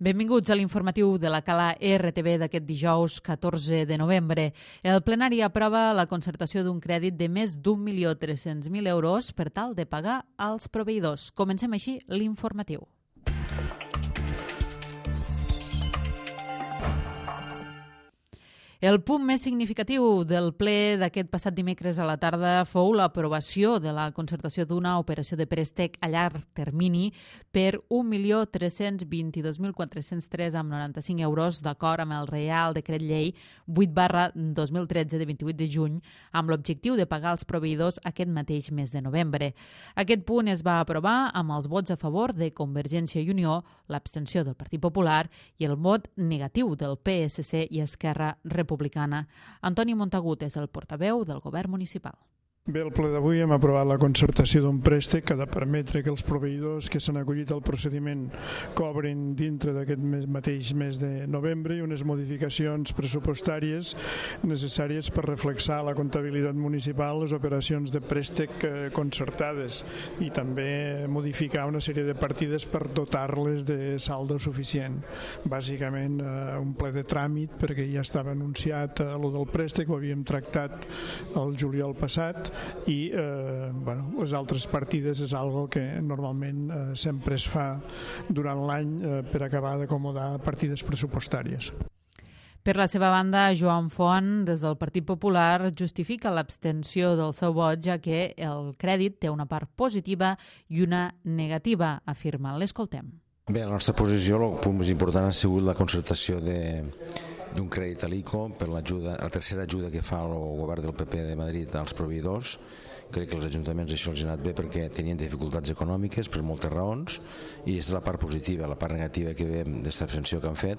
Benvinguts a l'informatiu de la Cala RTV d'aquest dijous 14 de novembre. El plenari aprova la concertació d'un crèdit de més d'1.300.000 euros per tal de pagar als proveïdors. Comencem així l'informatiu. El punt més significatiu del ple d'aquest passat dimecres a la tarda fou l'aprovació de la concertació d'una operació de préstec a llarg termini per 1.322.403,95 euros d'acord amb el Reial Decret Llei 8/2013 de 28 de juny amb l'objectiu de pagar als proveïdors aquest mateix mes de novembre. Aquest punt es va aprovar amb els vots a favor de Convergència i Unió, l'abstenció del Partit Popular i el vot negatiu del PSC i Esquerra Republicana. Antoni Montagut és el portaveu del govern municipal. Bé, al ple d'avui hem aprovat la concertació d'un préstec que ha de permetre que els proveïdors que s'han acollit al procediment cobrin dintre d'aquest mateix mes de novembre i unes modificacions pressupostàries necessàries per reflexar a la comptabilitat municipal les operacions de préstec concertades i també modificar una sèrie de partides per dotar-les de saldo suficient. Bàsicament un ple de tràmit perquè ja estava anunciat lo del préstec, ho havíem tractat el juliol passat i les altres partides és algo que normalment sempre es fa durant l'any per acabar d'acomodar partides pressupostàries. Per la seva banda, Joan Font, des del Partit Popular, justifica l'abstenció del seu vot, ja que el crèdit té una part positiva i una negativa, afirma. L'escoltem. Bé, la nostra posició, el punt més important ha sigut la concertació d'un crèdit a l'ICO per la tercera ajuda que fa el govern del PP de Madrid als proveïdors. Crec que els ajuntaments això els ha anat bé perquè tenien dificultats econòmiques per moltes raons i és la part positiva. La part negativa que veiem d'aquesta abstenció que han fet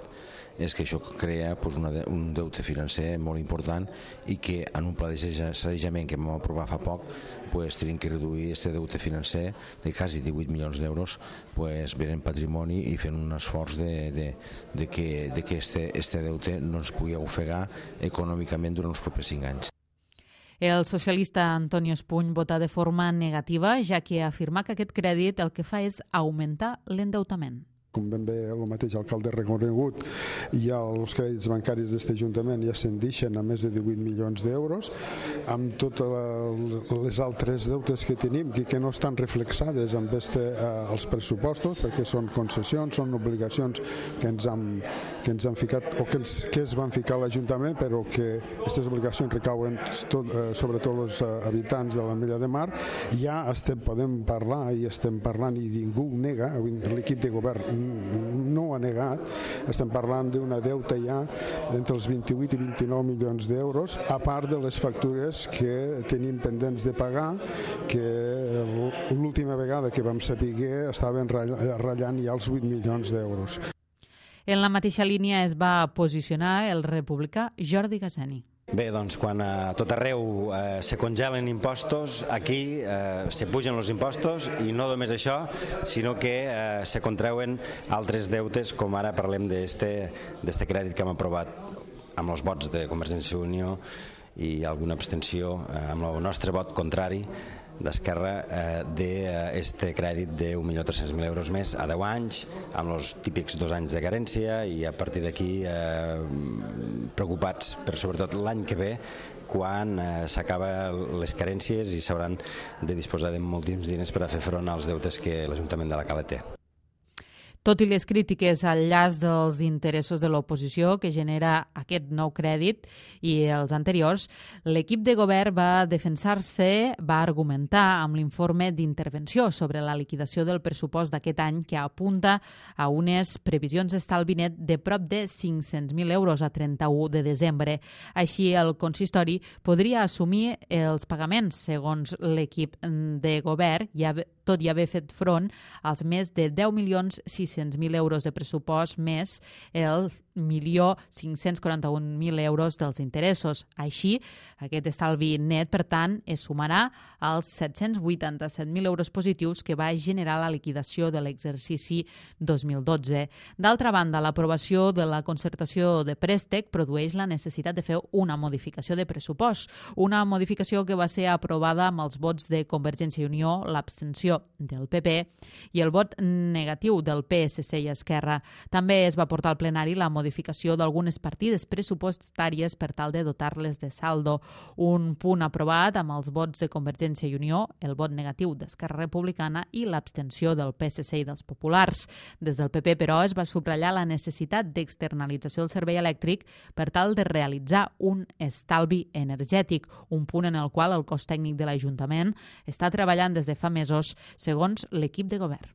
és que això crea un deute financer molt important i que en un pla de sanejament que vam aprovar fa poc tenim que reduir aquest deute financer de quasi 18 milions d'euros venent patrimoni i fent un esforç de que aquest deute no ens pugui ofegar econòmicament durant els propers 5 anys. El socialista Antonio Espuny vota de forma negativa, ja que afirma que aquest crèdit el que fa és augmentar l'endeutament. Com ben bé el mateix alcalde ha reconegut, ja els crèdits bancaris d'aquest Ajuntament ja s'endixen a més de 18 milions d'euros, amb totes les altres deutes que tenim que no estan reflexades amb els pressupostos, perquè són concessions, són obligacions que ens han ficat o que es van ficar a l'Ajuntament, però que aquestes obligacions recauen sobretot els habitants de l'Ametlla de Mar. Ja podem parlar i estem parlant i ningú ho nega, l'equip de govern no ho ha negat, estem parlant d'una deuta ja entre els 28 i 29 milions d'euros, a part de les factures que tenim pendents de pagar, que l'última vegada que vam saber estaven ratllant ja els 8 milions d'euros. En la mateixa línia es va posicionar el republicà Jordi Gassani. Bé, doncs quan a tot arreu se congelen impostos, aquí se pugen els impostos i no només això, sinó que se contrauen altres deutes, com ara parlem d'este crèdit que hem aprovat amb els vots de Convergència i Unió i alguna abstenció amb el nostre vot contrari d'Esquerra d'aquest crèdit de 1.300.000 euros més a 10 anys, amb els típics 2 anys de carència i a partir d'aquí preocupats per sobretot l'any que ve quan s'acaben les carències i s'hauran de disposar de moltíssims diners per a fer front als deutes que l'Ajuntament de la Cala té. Tot i les crítiques al llaç dels interessos de l'oposició que genera aquest nou crèdit i els anteriors, l'equip de govern va defensar-se, va argumentar amb l'informe d'intervenció sobre la liquidació del pressupost d'aquest any que apunta a unes previsions d'estalvi net de prop de 500.000 euros a 31 de desembre. Així, el consistori podria assumir els pagaments, segons l'equip de govern, tot i haver fet front als més de 10.600.000 euros de pressupost més 1.541.000 euros dels interessos. Així, aquest estalvi net, per tant, es sumarà als 787.000 euros positius que va generar la liquidació de l'exercici 2012. D'altra banda, l'aprovació de la concertació de préstec produeix la necessitat de fer una modificació de pressupost, una modificació que va ser aprovada amb els vots de Convergència i Unió, l'abstenció del PP i el vot negatiu del PSC i Esquerra. També es va portar al plenari la modificació d'algunes partides pressupostàries per tal de dotar-les de saldo. Un punt aprovat amb els vots de Convergència i Unió, el vot negatiu d'Esquerra Republicana i l'abstenció del PSC i dels populars. Des del PP, però, es va subratllar la necessitat d'externalització del servei elèctric per tal de realitzar un estalvi energètic, un punt en el qual el cos tècnic de l'Ajuntament està treballant des de fa mesos, segons l'equip de govern.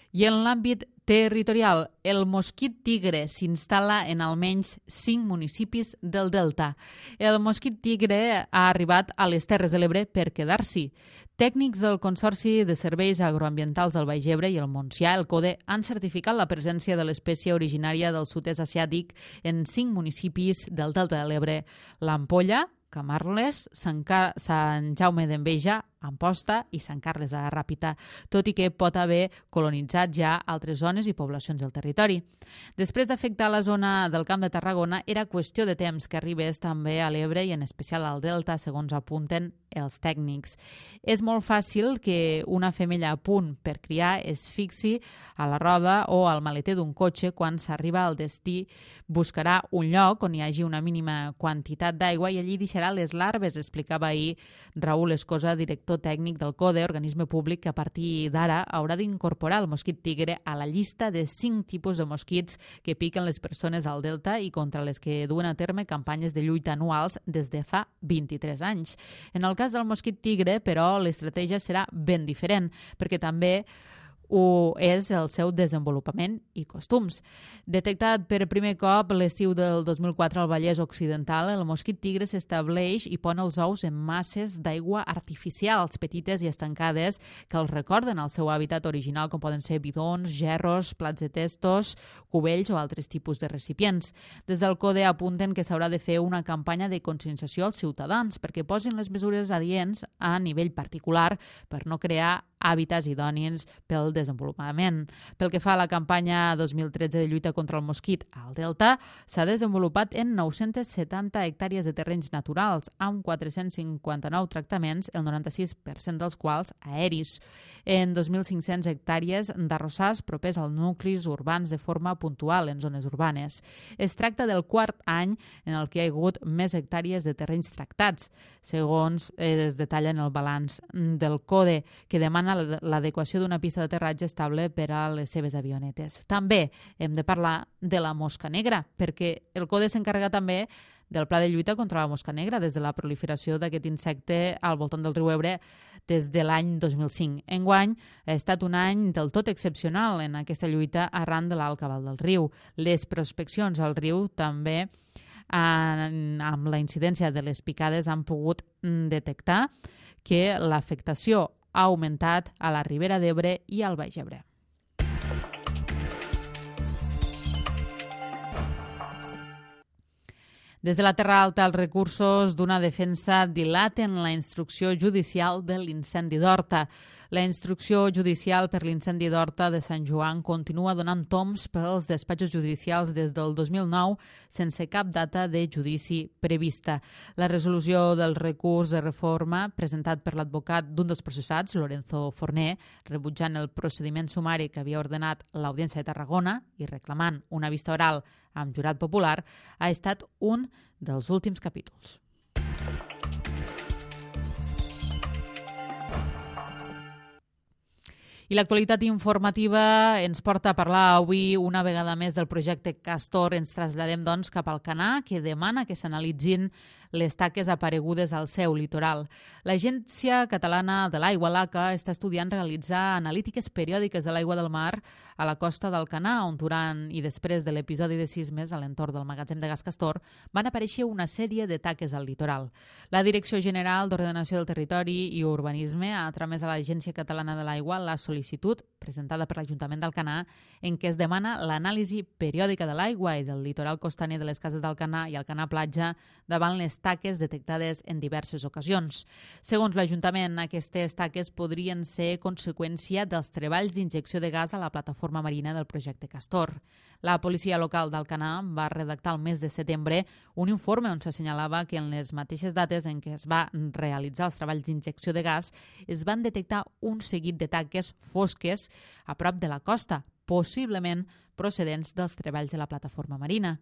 I en l'àmbit territorial, el mosquit tigre s'instal·la en almenys 5 municipis del Delta. El mosquit tigre ha arribat a les Terres de l'Ebre per quedar-s'hi. Tècnics del Consorci de Serveis Agroambientals del Baix Ebre i el Montsià, el CODE, han certificat la presència de l'espècie originària del sud-est asiàtic en 5 municipis del Delta de l'Ebre: l'Ampolla, Camarles, Sant Jaume d'Enveja, Amposta i Sant Carles de la Ràpita, tot i que pot haver colonitzat ja altres zones i poblacions del territori. Després d'afectar la zona del Camp de Tarragona, era qüestió de temps que arribés també a l'Ebre i en especial al Delta, segons apunten els tècnics. És molt fàcil que una femella a punt per criar es fixi a la roda o al maleter d'un cotxe. Quan s'arriba al destí, buscarà un lloc on hi hagi una mínima quantitat d'aigua i allí deixarà les larves, explicava ahir Raül Escosa, director tècnic del CODE, organisme públic que a partir d'ara haurà d'incorporar el mosquit tigre a la llista de 5 tipus de mosquits que piquen les persones al Delta i contra les que duen a terme campanyes de lluita anuals des de fa 23 anys. En el cas del mosquit tigre, però, l'estratègia serà ben diferent, perquè també ho és el seu desenvolupament i costums. Detectat per primer cop l'estiu del 2004 al Vallès Occidental, el mosquit tigre s'estableix i pon els ous en masses d'aigua artificials, petites i estancades, que els recorden el seu hàbitat original, com poden ser bidons, gerros, plats de testos, cubells o altres tipus de recipients. Des del CODE apunten que s'haurà de fer una campanya de conscienciació als ciutadans perquè posin les mesures adients a nivell particular per no crear hàbitats idònics pel desenvolupament. Pel que fa a la campanya 2013 de lluita contra el mosquit al Delta, s'ha desenvolupat en 970 hectàrees de terrenys naturals, amb 459 tractaments, el 96% dels quals aeris, en 2.500 hectàrees d'arrossars propers als nuclis urbans de forma puntual en zones urbanes. Es tracta del quart any en el que hi ha hagut més hectàrees de terrenys tractats, segons es detalla en el balanç del CODE, que demana l'adequació d'una pista d'aterratge estable per a les seves avionetes. També hem de parlar de la mosca negra, perquè el CODE s'encarrega també del pla de lluita contra la mosca negra des de la proliferació d'aquest insecte al voltant del riu Ebre des de l'any 2005. Enguany ha estat un any del tot excepcional en aquesta lluita arran de l'alt cabal del riu. Les prospeccions al riu també amb la incidència de les picades han pogut detectar que l'afectació ha augmentat a la Ribera d'Ebre i al Baix Ebre. Des de la Terra Alta, els recursos d'una defensa dilaten la instrucció judicial de l'incendi d'Horta. La instrucció judicial per l'incendi d'Horta de Sant Joan continua donant tombs pels despatxos judicials des del 2009 sense cap data de judici prevista. La resolució del recurs de reforma presentat per l'advocat d'un dels processats, Lorenzo Forné, rebutjant el procediment sumari que havia ordenat l'Audiència de Tarragona i reclamant una vista oral amb jurat popular, ha estat un dels últims capítols. I l'actualitat informativa ens porta a parlar avui una vegada més del projecte Castor. Ens traslladem, doncs, cap al Canà, que demana que s'analitzin les taques aparegudes al seu litoral. L'Agència Catalana de l'Aigua, l'ACA, està estudiant realitzar analítiques periòdiques de l'aigua del mar a la costa del Canà, on durant i després de l'episodi de sismes a l'entorn del magatzem de gas Castor van aparèixer una sèrie de taques al litoral. La Direcció General d'Ordenació del Territori i Urbanisme ha tramès a l'Agència Catalana de l'Aigua la sol·licitud presentada per l'Ajuntament d'Alcanar en què es demana l'anàlisi periòdica de l'aigua i del litoral costaner de les cases d'Alcanar i Alcanar Platja davant les taques detectades en diverses ocasions. Segons l'Ajuntament, aquestes taques podrien ser conseqüència dels treballs d'injecció de gas a la plataforma marina del projecte Castor. La policia local d'Alcanar va redactar el mes de setembre un informe on s'assenyalava que en les mateixes dates en què es va realitzar els treballs d'injecció de gas es van detectar un seguit de taques fosques a prop de la costa, possiblement procedents dels treballs de la plataforma marina.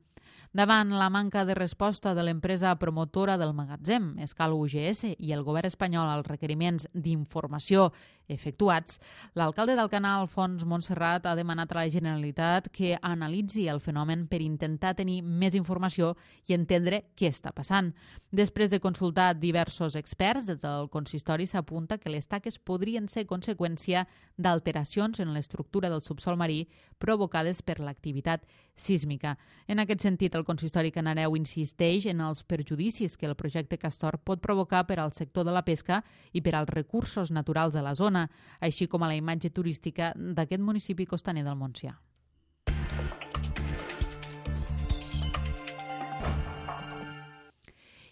Davant la manca de resposta de l'empresa promotora del magatzem, Escal UGS, i el govern espanyol als requeriments d'informació efectuats, l'alcalde d'Alcanar, Alfons Montserrat, ha demanat a la Generalitat que analitzi el fenomen per intentar tenir més informació i entendre què està passant. Després de consultar diversos experts, des del consistori s'apunta que les taques podrien ser conseqüència d'alteracions en l'estructura del subsol marí provocades per l'activitat sísmica. En aquest sentit, el consistori canareu insisteix en els perjudicis que el projecte Castor pot provocar per al sector de la pesca i per als recursos naturals de la zona, així com a la imatge turística d'aquest municipi costaner del Montsià.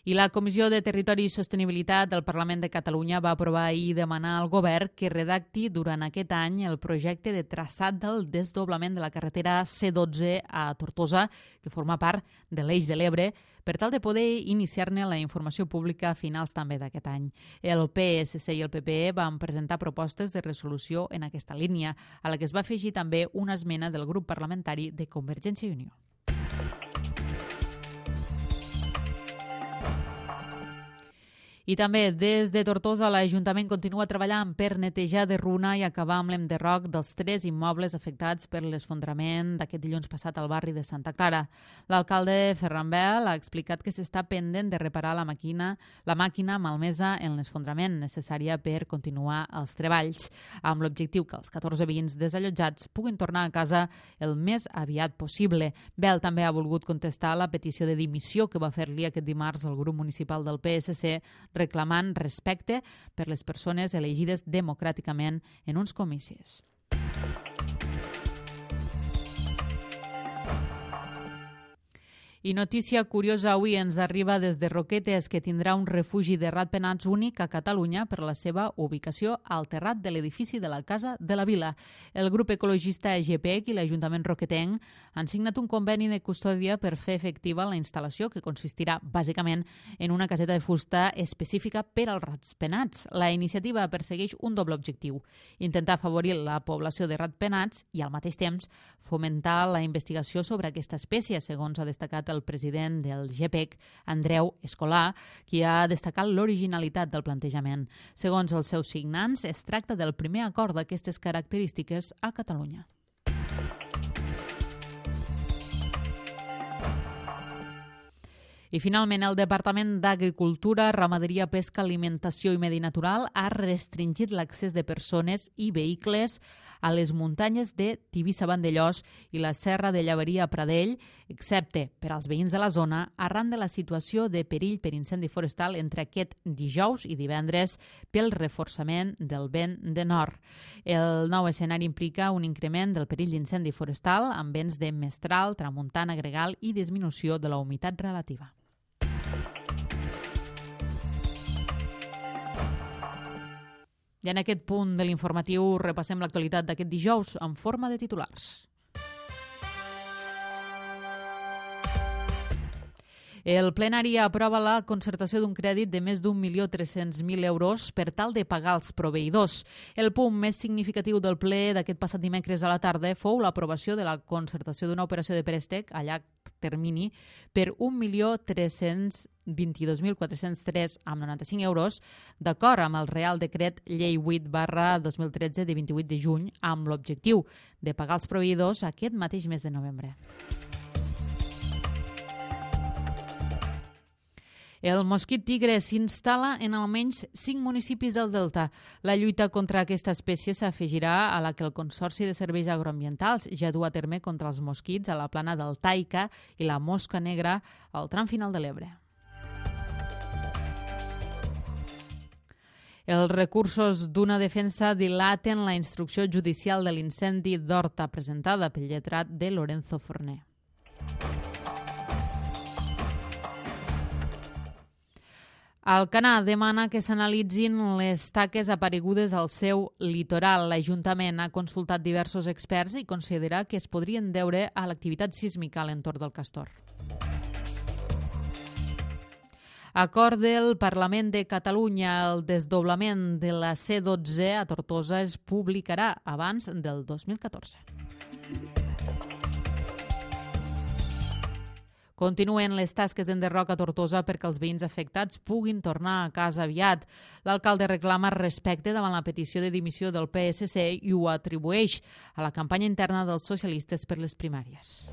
I la Comissió de Territori i Sostenibilitat del Parlament de Catalunya va aprovar ahir i demanar al govern que redacti durant aquest any el projecte de traçat del desdoblament de la carretera C12 a Tortosa, que forma part de l'Eix de l'Ebre, per tal de poder iniciar-ne la informació pública a finals també d'aquest any. El PSC i el PPE van presentar propostes de resolució en aquesta línia, a la que es va afegir també una esmena del grup parlamentari de Convergència i Unió. I també des de Tortosa l'Ajuntament continua treballant per netejar de runa i acabar amb l'enderroc dels 3 immobles afectats per l'esfondrament d'aquest dilluns passat al barri de Santa Clara. L'alcalde Ferran Bel ha explicat que s'està pendent de reparar la màquina malmesa en l'esfondrament necessària per continuar els treballs, amb l'objectiu que els 14 veïns desallotjats puguin tornar a casa el més aviat possible. Bel també ha volgut contestar la petició de dimissió que va fer-li aquest dimarts el grup municipal del PSC, reclamant respecte per les persones elegides democràticament en uns comicis. I notícia curiosa avui ens arriba des de Roquetes, que tindrà un refugi de ratpenats únic a Catalunya per la seva ubicació al terrat de l'edifici de la Casa de la Vila. El grup ecologista GPEC i l'Ajuntament roquetenc han signat un conveni de custòdia per fer efectiva la instal·lació, que consistirà bàsicament en una caseta de fusta específica per als ratpenats. La iniciativa persegueix un doble objectiu: intentar afavorir la població de ratpenats i, al mateix temps, fomentar la investigació sobre aquesta espècie, segons ha destacat el president del GPEC, Andreu Escolà, qui ha destacat l'originalitat del plantejament. Segons els seus signants, es tracta del primer acord d'aquestes característiques a Catalunya. I finalment, el Departament d'Agricultura, Ramaderia, Pesca, Alimentació i Medi Natural ha restringit l'accés de persones i vehicles a les muntanyes de Tivissa-Vandellòs i la Serra de Llaveria a Pradell, excepte per als veïns de la zona, arran de la situació de perill per incendi forestal entre aquest dijous i divendres pel reforçament del vent de nord. El nou escenari implica un increment del perill d'incendi forestal amb vents de mestral, tramuntana, gregal i disminució de la humitat relativa. I en aquest punt de l'informatiu repassem l'actualitat d'aquest dijous en forma de titulars. El plenari aprova la concertació d'un crèdit de més d'1.300.000 euros per tal de pagar els proveïdors. El punt més significatiu del ple d'aquest passat dimecres a la tarda fou l'aprovació de la concertació d'una operació de préstec a llarg termini per 1.322.403,95 euros, d'acord amb el Real Decret Llei 8/2013 de 28 de juny, amb l'objectiu de pagar els proveïdors aquest mateix mes de novembre. El mosquit tigre s'instal·la en almenys 5 municipis del Delta. La lluita contra aquesta espècie s'afegirà a la que el Consorci de Serveis Agroambientals ja du a terme contra els mosquits a la plana del Taica i la mosca negra al tram final de l'Ebre. Els recursos d'una defensa dilaten la instrucció judicial de l'incendi d'Horta presentada pel lletrat de Lorenzo Forné. Alcanar demana que s'analitzin les taques aparegudes al seu litoral. L'Ajuntament ha consultat diversos experts i considera que es podrien deure a l'activitat sísmica a l'entorn del Castor. Acord del Parlament de Catalunya. El desdoblament de la C12 a Tortosa es publicarà abans del 2014. Continuen les tasques d'enderroc a Tortosa perquè els veïns afectats puguin tornar a casa aviat. L'alcalde reclama respecte davant la petició de dimissió del PSC i ho atribueix a la campanya interna dels socialistes per les primàries.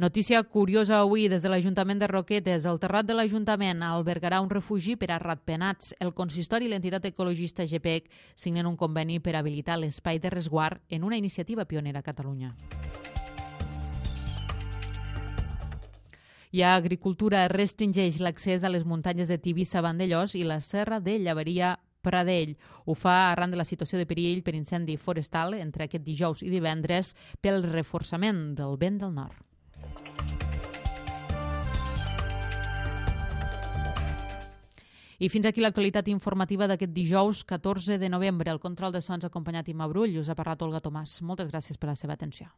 Notícia curiosa avui des de l'Ajuntament de Roquetes. El terrat de l'Ajuntament albergarà un refugi per a ratpenats. El consistori i l'entitat ecologista GPEC signen un conveni per habilitar l'espai de resguard en una iniciativa pionera a Catalunya. I Agricultura restringeix l'accés a les muntanyes de Tivissa-Vandellós i la serra de Llaveria-Pradell. Ho fa arran de la situació de perill per incendi forestal entre aquest dijous i divendres pel reforçament del vent del nord. I fins aquí l'actualitat informativa d'aquest dijous 14 de novembre. El control de sons acompanyat Imma Brull. Us ha parlat Olga Tomàs. Moltes gràcies per la seva atenció.